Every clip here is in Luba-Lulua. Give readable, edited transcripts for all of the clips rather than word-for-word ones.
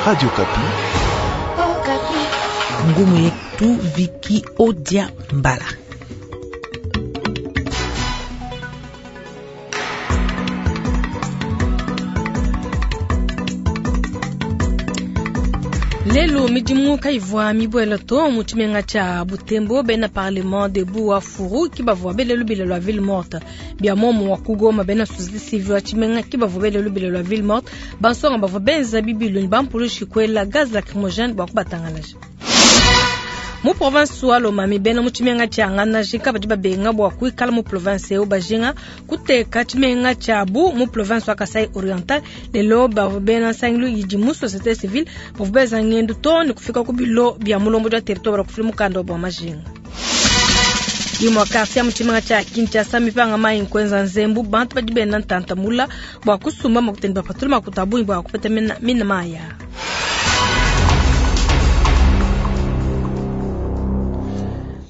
Radio Okapi. Ngumu yetu Viki Odia Mbala. Lelu midimu kayivua mibuela to mu tshimenga tshia Butembo bena parlement debout wa Furu ki bavua bele lubila lua ville morte bia muomu wa ku Goma bena société civile wa tshimenga ki bavua bele lubila lua ville morte bansonga bavua benza bibilu ne bampulushi kuela gaz lacrymogène bua kubatangalaja. Mu province wa Lomami bena mu tshimenga tshia Ngandajika badi babenga bua kuikala mu province eu bajinga kuteka tshimenga tshiabu mu province wa Kasai Oriental. Lelo bavua bena nsangilu idi mu société civile bavua benza ngendu too ne kufika ku bilo bia mulombodi wa territoire kufila mukanda wa majinga. Imua quartier mu tshimenga tshia Kinshasa mipanga mayi nkuenza nzembu bantu badi benda ntantamula bua kusumba makuta ne bapatula makuta a bungi bua kupeta mina mayi aa.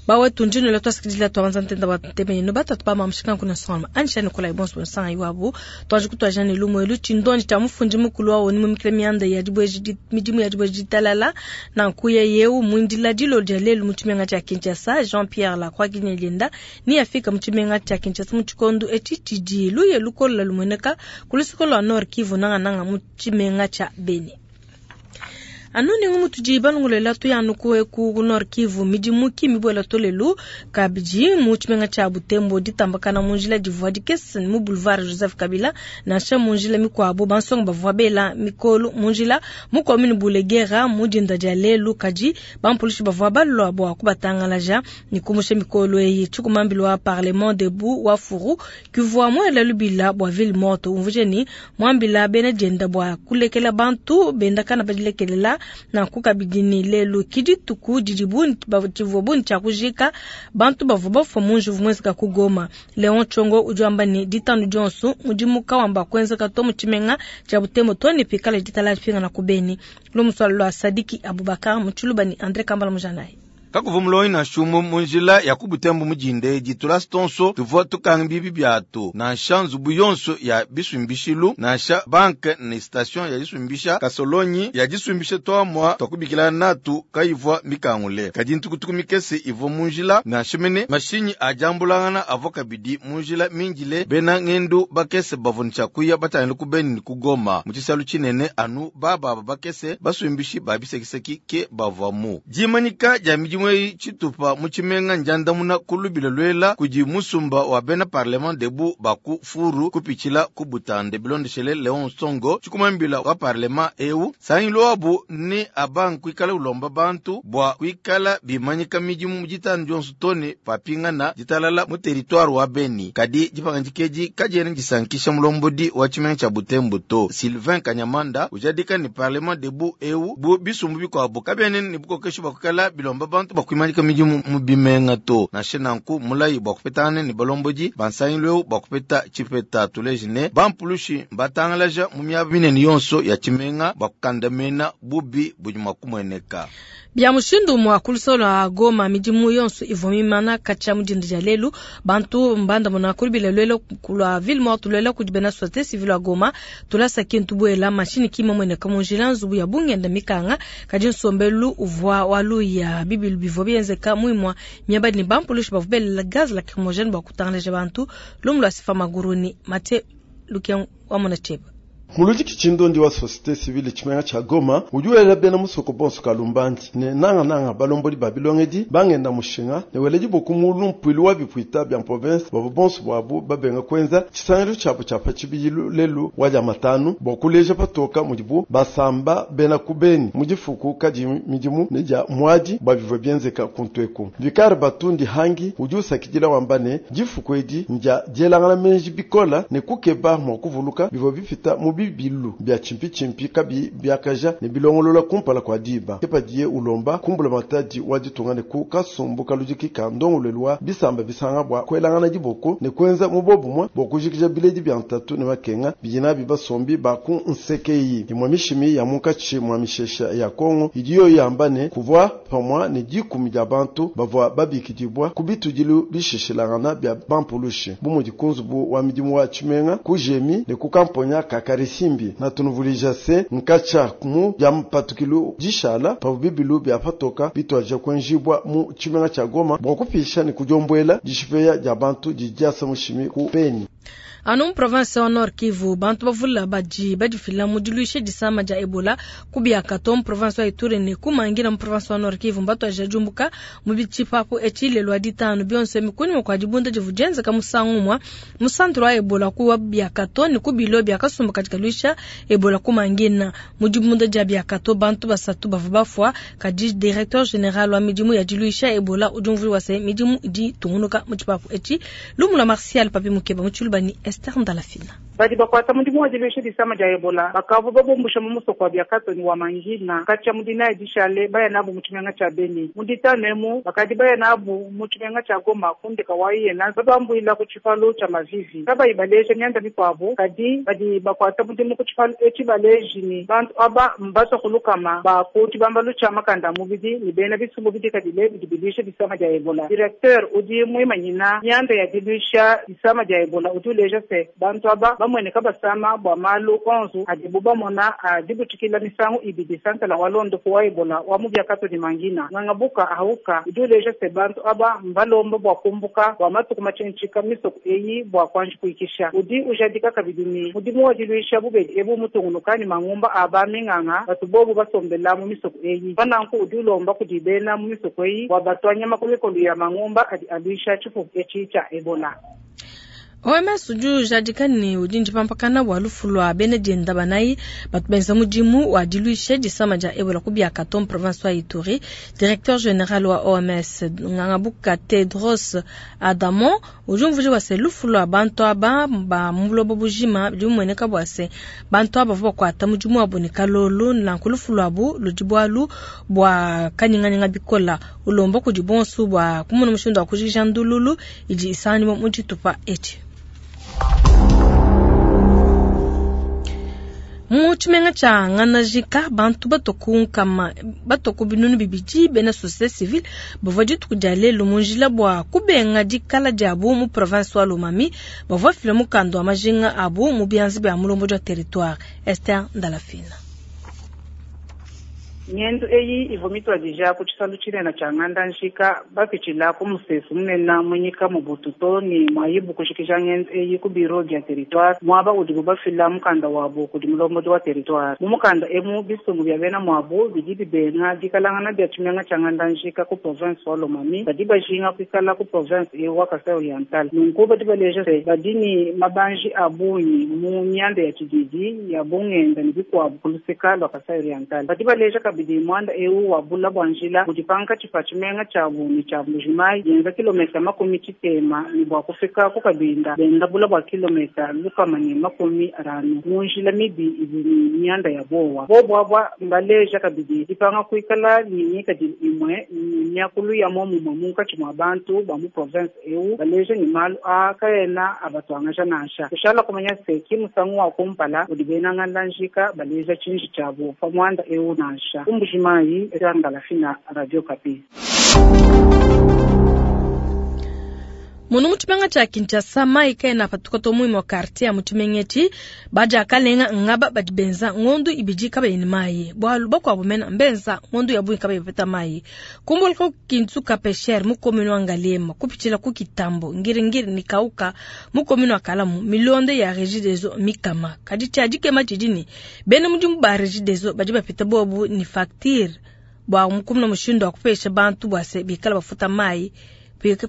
Bawetu ndino twasikidila twabanza ntenda wa ntemeino batatu ba mamushika nkuna songa anisha nikolai bonso bonsanga iwabo twaji kutwaja ne lumwe tshindondi tshia mufundi mukulu wa onu mumikile mianda ya dibweji midimu ya dibweji ditalala nanku yeyeu mwindila dilo dia lelu mu tshimenga tshia Kinshasa Jean Pierre Lacroix Kinyelienda ni afika mu tshimenga tshia Kinshasa mu tshikondo etshi tshidi luye lukola lumueneka ku luseke lua Nord Kivu nangananga mu tshimenga tshia Beni. Anu ningu mutudi balongolela tuyanu ku eku ku Nord Kivu midimu ki mibuela to lelu kabidi mu tshimenga tshia Butembo ditambakana mu njila divua dikese mu boulevard Joseph Kabila nansha mu njila mikuabu bansonga bavua bela mikolu mu njila mu commune Bulegera mu dinda dia lelu kadi bampulushi bavua balua bua kubatangalaja ne kumusha mikolu eyi. Tshikumambilu wa parlement debout wa Furu kivua muela lubila bua ville morte umvuje ni muambila bena dienda bua kulekela bantu bendakana badilekelela nanku kabidi ni lelu kidituku didi tshivua buni tshia kujika bantu bavua bafua mu njuvu mwenzeka ku Goma. Leon Chongo udi wamba ne ditanu dionso mudimu kawamba kuenzeka to mu tshimenga tshia Butembo to ne pikala ditala pingana ku Beni. Lumuswalo lwa Sadiki Abubakar mu Tshiluba ni Andre Kambala Mujanayi. Kakuva mulonyi na shumu mu njila ya ku Butembo mujinde ditula stonso tuvua tukanga bibi biatu nansha nzubu yonso ya bisumbishilu nansha banke ne station ya disumbisha kasolonyi ya disumbisha twamua twakubikila natu kayivua mikangule kadi ntukutuku mikese ivua mu njila nansha mene mashinyi ajambulangana avua kabidi mu njila minjile bena ngendu bakese bavua ne tshiakuya batangile ku Beni ne ku Goma mu tshisalu tshinene anu bababa bakese basumbishi ba bisekiseki ke bavua mu dimanyika dia midimu tshitupa mu tshimenga njandamuna ku lubila lwela kudi musumba wa bena parlement debout ba ku Furu kupitshila ku Butande bilondeshele Leon Songo tshikumambila wa parlement eu sangilu wabu ni abang kuikala ulomba bantu bua kuikala bimanyika midimu mu ditanu dionso tone papingana ditalala mu territoire wa Beni kadi dipangandikeji kadiena disankisha mulombodi wa tshimenga tshia Butembo to Sylvain Kanyamanda ujadika ni parlement debout eu bu bisumbu bikuabu kabiene ni bukokesho bakukala bilomba bantu bakuimanyika midimu mu bimenga to nansha nanku mulayi bua kupetangana ne balombodi bansangilu eu bua kupeta tshipeta tuleji ne bampulushi mbatangalaja mu miaba minene yonso ya tshimenga bua kukandamena bubi budi mua kumueneka. Bia mushindu mwa kulusolo a Goma midimu yonso ivua mimana katshia mu dinda dia lelu bantu mbanda mona kulubila lwelo kulwa ville morte lwelo kudi bena société civile wa Goma tulasa kintu buela mashini kima mweneka mu njila nzubu ya bungenda mikanga kadi nsombelu uvua waluya bibilu bivua bienzeka muimua miaba ne bampulushi bavua belela gaz lacrymogène bua kutangalaja bantu lumu lua sifa maguruni mate lukia wamona cheba. Muludiki tshindondi wa société civile tshimenga tsha Goma udi wela bena musoko bonso kalumbandi ne nanga nanga balombodi ba bilongedi bangenda mushinga ne weledi boku mulu mpuilu wa bipuita bia province bavua bonso bwabu babenga kwenza tshisangilu tshiabu tshia pa tshibidilu lelu wa dia matanu bua kuleja patoka mudibu basamba bena ku Beni mu difuku kadi midimu ne dia muadi bua bivua bienzeka kuntu eku. Vikar Batundi Hangi udi usakidila wamba ne difuku edi ndia dielangana menji bikola ne kukeba mua kuvuluka bivua bipita mu bibilu bia chimpi-chimpi kabi biakaja ne bilongolola kumpala kwa diba kepadiye ulomba kumbula matadi wa ditunga ne ku kasumbu kaludiki ka ndongolelu wa bisamba bisanga bua kuelangana diboko ne kuenza mu bobumwe bua kujikija biledi bia ntatu ne makenga bidi nabi basombi ba ku nseke imwe mishimi ya munkatshi mwa mishesha ya Kongo idi yo yamba ne kuvua pamwa ne dikumi dia bantu bavua babikidibwa ku bitudilu bishishilangana bia bampulushi bu mudi ku nzubu wa midimu wa tshimenga ku jemi ne ku kamponya ka. Karisimbi na tunuvulija se nkacha mu bya mpatukilu dishala pavu bibilu bya patoka bitwaja kwenjibwa mu tshimenga tsha Goma bua kupisha ne kudiombwela dishipeya dia bantu didiasa mushimi ku Beni. Anu mu province wa Nord Kivu, bantu bavula badi badifila mu diluisha disama dia Ebola ku Biakato mu province wa Ituri ne ku Mangina mu province wa Nord Kivu. Mbatuadija diumbuka mu bitshipapu etshi lelu wa ditanu bionso ebi kunyima kua dibunda divua dienzeka musangu umue mu centre wa Ebola ku wa Biakato ne ku bilo bia kasumbu kadi kaluisha Ebola ku Mangina. Mu dibunda dia Biakato bantu basatu bavua bafua, kadi directeur general wa midimu ya diluisha Ebola udi umvuija se midimu idi itungunuka mu tshipapu etshi. Lumu lua Martial Papi Mukeba mu Tshiluba ne Esther Ndalafina. Badi bakuata mudimu wa diluisha disama dia Ebola bakavua babumbusha mu musoko wa Biakato ne wa Mangina katshia mu dinayi dishale baya nabu mu tshimenga tshia Beni. Mu ditanu emu bakadi baya nabu mu tshimenga tshia Goma ku ndeka wa Iyena babambuila ku tshipalu tshia Mavivi kabayi baleja mianda mikuabu. Kadi badi bakuata mudimu ku tshipalu etshi baleji ne bantu aba mbatua ku lukama ba ku tshibambalu tshia makanda a mubidi ne bena bisumbu bidikadile bidi biluisha disama dia Ebola. Directeur udi muimanyina mianda ya diluisha disama dia Ebola udi uleja se bantu aba bamueneka basama bua malu onso adibu bamona a dibutshikila misangu ibidi santala wa londopu wa Ebola wa mu Biakato ne Mangina. Ngangabuka Ahauka udi uleja se bantu aba mbalomba bua kumbuka bua matuku matshintshika misoko eyi bua kuanji kuikisha. Udi ujadika kabidi ne mudimu wa diluisha bubedi ebu mutungunuka ne mangumba a ba minganga batu bobu basombela mu misoko eyi. Pananku udi ulomba kudi bena mu misoko eyi bua batua nyama ku mikolo ya mangumba adi aluisha tshipupu etshi tshia Ebola. OMS udi ujadika ne udi ndipampakana bua lufu lua bena dienda banayi batu benza mudimu wa diluisha disama dia Ebola ku Biakato mu province wa Ituri. Directeur general wa OMS Ngangabuka Tedros Adhanom udi umvuija bua se lufu lua bantu aba ba mu buloba bujima bidi bimueneka bua se bantu aba bavua bakuata mudimu wabu ne kalolo, nanku lufu luabu ludi bualu bua kanyinganyinga bikola. Ulomba kudi bonso bua kumona mushindu wa kujikija ndululu idi isanganyibua mu tshitupa etshi. Mu tshimenga tshia Nganajika, bantu batua ku nkama, batua ku binunu bibidi bena société civile bavua dituku dia lelu mu njila bua kubenga dikala diabu mu province wa Lomami. Bavua bafila mukanda wa majinga abu mu bianza bia mulombodi wa territoire Esther Ndalafina. Ngendu eyi ivua mituadija ku tshisalu tshinene tshia Ngandanjika bapitshila ku musesu munene munyika mu Bututo ne muayibu kujikija ngendu eyi ku biro bia territoire muaba udibu bafila mukanda wabu kudi mulombodi wa territoire. Mu mukanda emu bisumbu bia bena muabu bidi bibenga dikalangana dia tshimenga tshia Ngandanjika ku province wa Lomami badi bajinga kuikala ku province eu wa Kasai Oriental. Nunku badi baleja se badi ne mabanji a bungi mu mianda ya tshididi ya bungenda ne bikuabu ku luseka lua Kasai Oriental. Badi baleja kabidi muanda eu wa bula bua njila budi pankatshi pa tshimenga tshiabu ne tshia Mbujimayi yenza kilometa 60 ne bua kufika ku Kabinda benda bula bua kilometa 150 mu njila mibi idi ne mianda ya bowa. Bobu aba mbaleja kabidi dipanga kuikala ne ngikadilu imue ne miakulu ya muomumue munkatshi mua bantu ba mu province eu, baleja ne malu aa kaena abatuangaja nansha. Kushala kumanya se ki musangu wa kumpala udi bena Ngandanjika baleja tshinji tshiabu pa muanda eu nansha. Ku Mbujimayi, Esther Ndalafina, Radio Okapi. Munu mu tshimenga tshia Kinshasa, mayi kaena apatuka to mu imue quartier ya mu tshimenga etshi. Badi akalenga ngaba badi benza ngondu ibidi kabayi ne mayi, bualu bakuabu mena mbenza ngondu ya bungi kabayi bapeta mayi. Kumbuluka ku Kinsuka Pesher mu commune wa Ngaliema, kupitshila ku Kitambo, Ngiringiri ne Kauka mu commune wa Kalamu, milonde ya Regideso mikama. Kadi tshia dikema tshidi ne bena mudimu ba Regideso badi bapeta bobu ne facture bua mukumuna mushindu wa kupesha bantu bua se bikala bafuta mayi.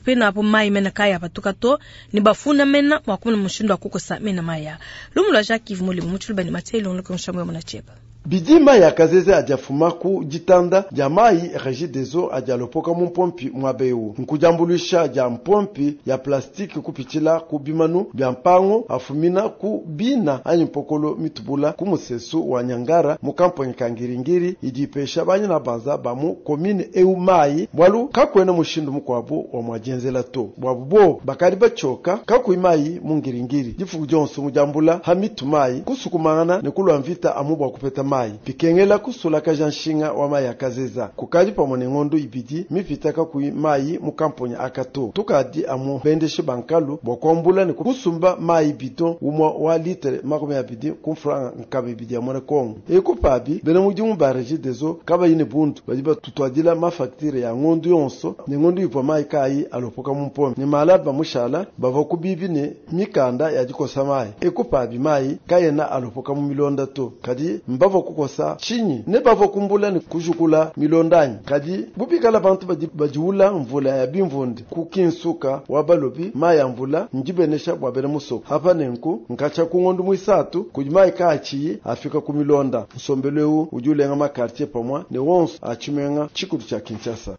Penapo mayi mena kaya apatuka to ne bafuna mena mua kumuna mushindu wa kukosa mena maya. Lumu lua Jacques Yves Mulimo mu Tshiluba ne Mathieu Ilongo ku Nshambu ya Munacheba. Bidi mayi akazeze adi afuma ku ditanda dia mayi Regideso adi alopoka mu mpompi muaba eu. Nkudiambuluisha dia mpompi ya plastike kupitshila ku bimanu bia mpangu afumina ku bina anyi mpokolo mitubula ku musesu wa Nyangara mu kamponyi ka Ngiringiri idi ipesha banyina banza ba mu commune eu mayi bualu kakuena mushindu mukuabu wa muadienzela to. Buabu bobu bakadi batshioka kakuyi mayi mu Ngiringiri difuku dionso mu diambula ha mitu mayi kusukumangana ne kulua mvita amu bua kupeta mayi. mayi. Bikengela kusulakaja nshinga wa mayi a kazeza. Kukadi pamue ne ngondu ibidi mipita kakuyi mayi mu kamponya aka to. Tukadi amu bendeshi ba nkalu bua kuambula ne kusumba mayi bidon umua wa litre makumi abidi ku mfranga nkama ibidi ya muena kongo. Eku pabi bena mudimu ba Regideso kabayi ne bundu badi batutuadila ma facture ya ngondu yonso ne ngondu ivua mayi kaayi alopoka mu mpompi ne malaba mushala bavua ku bibi ne mikanda ya dikosa mayi. Eku pabi mayi kaena alopoka mu milonda to. Kadi mbavua kukosa tshinyi? Ne bavua kumbula ne kujukula milonda anyi? Kadi bu bikala bantu badi badiula mvula ya bimvundu ku kinsuka wa balobi, mayi a mvula ndibenesha bua bena musoko. Apa nenku nkatshia ku ngondu muisatu kudi mayi kaatshiyi afika ku milonda. Nsombelu eu udi ulenga ma quartier pamue ne wonso a tshimenga tshikulu tshia Kinshasa.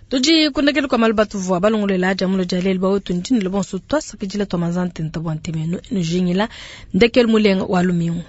Tudi kundekelu kua malu batuvua balongolola dia mulo dia lelu bawetu ndinile bonso twasakidila twa manza ntenta bua ntemenu enujingila ndekelu mulenga wa lumingu.